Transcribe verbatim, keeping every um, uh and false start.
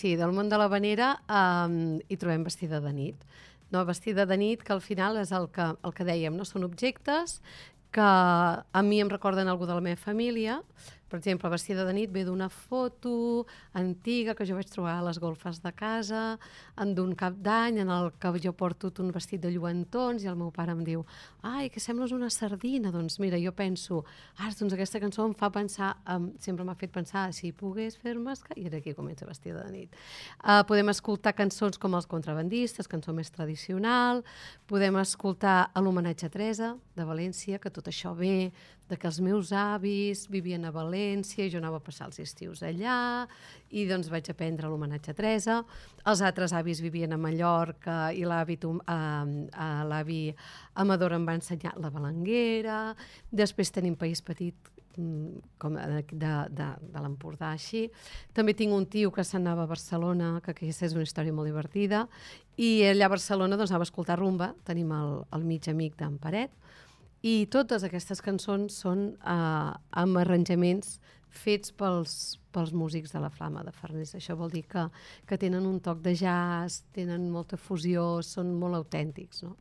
sí, del món de l'havanera um, hi trobem vestida de nit. No? Vestida de nit, que al final és el que, el que dèiem, no? Són objectes que a mi em recorden algú de la meva família. Per exemple, vestida de nit ve d'una foto antiga que jo vaig trobar a les golfes de casa, d'un cap d'any en el que jo porto un vestit de lluentons i el meu pare em diu ai, que sembles una sardina. Doncs mira, jo penso, ah, doncs aquesta cançó em fa pensar, um, sempre m'ha fet pensar, si pogués fer-me... I aquí comença vestida de nit. Uh, podem escoltar cançons com Els contrabandistes, cançó més tradicional, podem escoltar l'homenatge a Teresa, de València, que tot això ve de que els meus avis vivien a València i jo anava a passar els estius allà i doncs vaig aprendre l'homenatge a Teresa. Els altres avis vivien a Mallorca i l'avi uh, l'avi Amador em va ensenyar la balanguera. Després tenim País Petit, com de, de, de, de l'Empordà, així. També tinc un tio que s'anava a Barcelona, que aquesta és una història molt divertida, i allà a Barcelona doncs, anava a escoltar rumba. Tenim el, el mig amic d'en Paret, i totes aquestes cançons són eh, amb arranjaments fets pels, pels músics de la Flama de Farners. Això vol dir que, que tenen un toc de jazz, tenen molta fusió, són molt autèntics, no?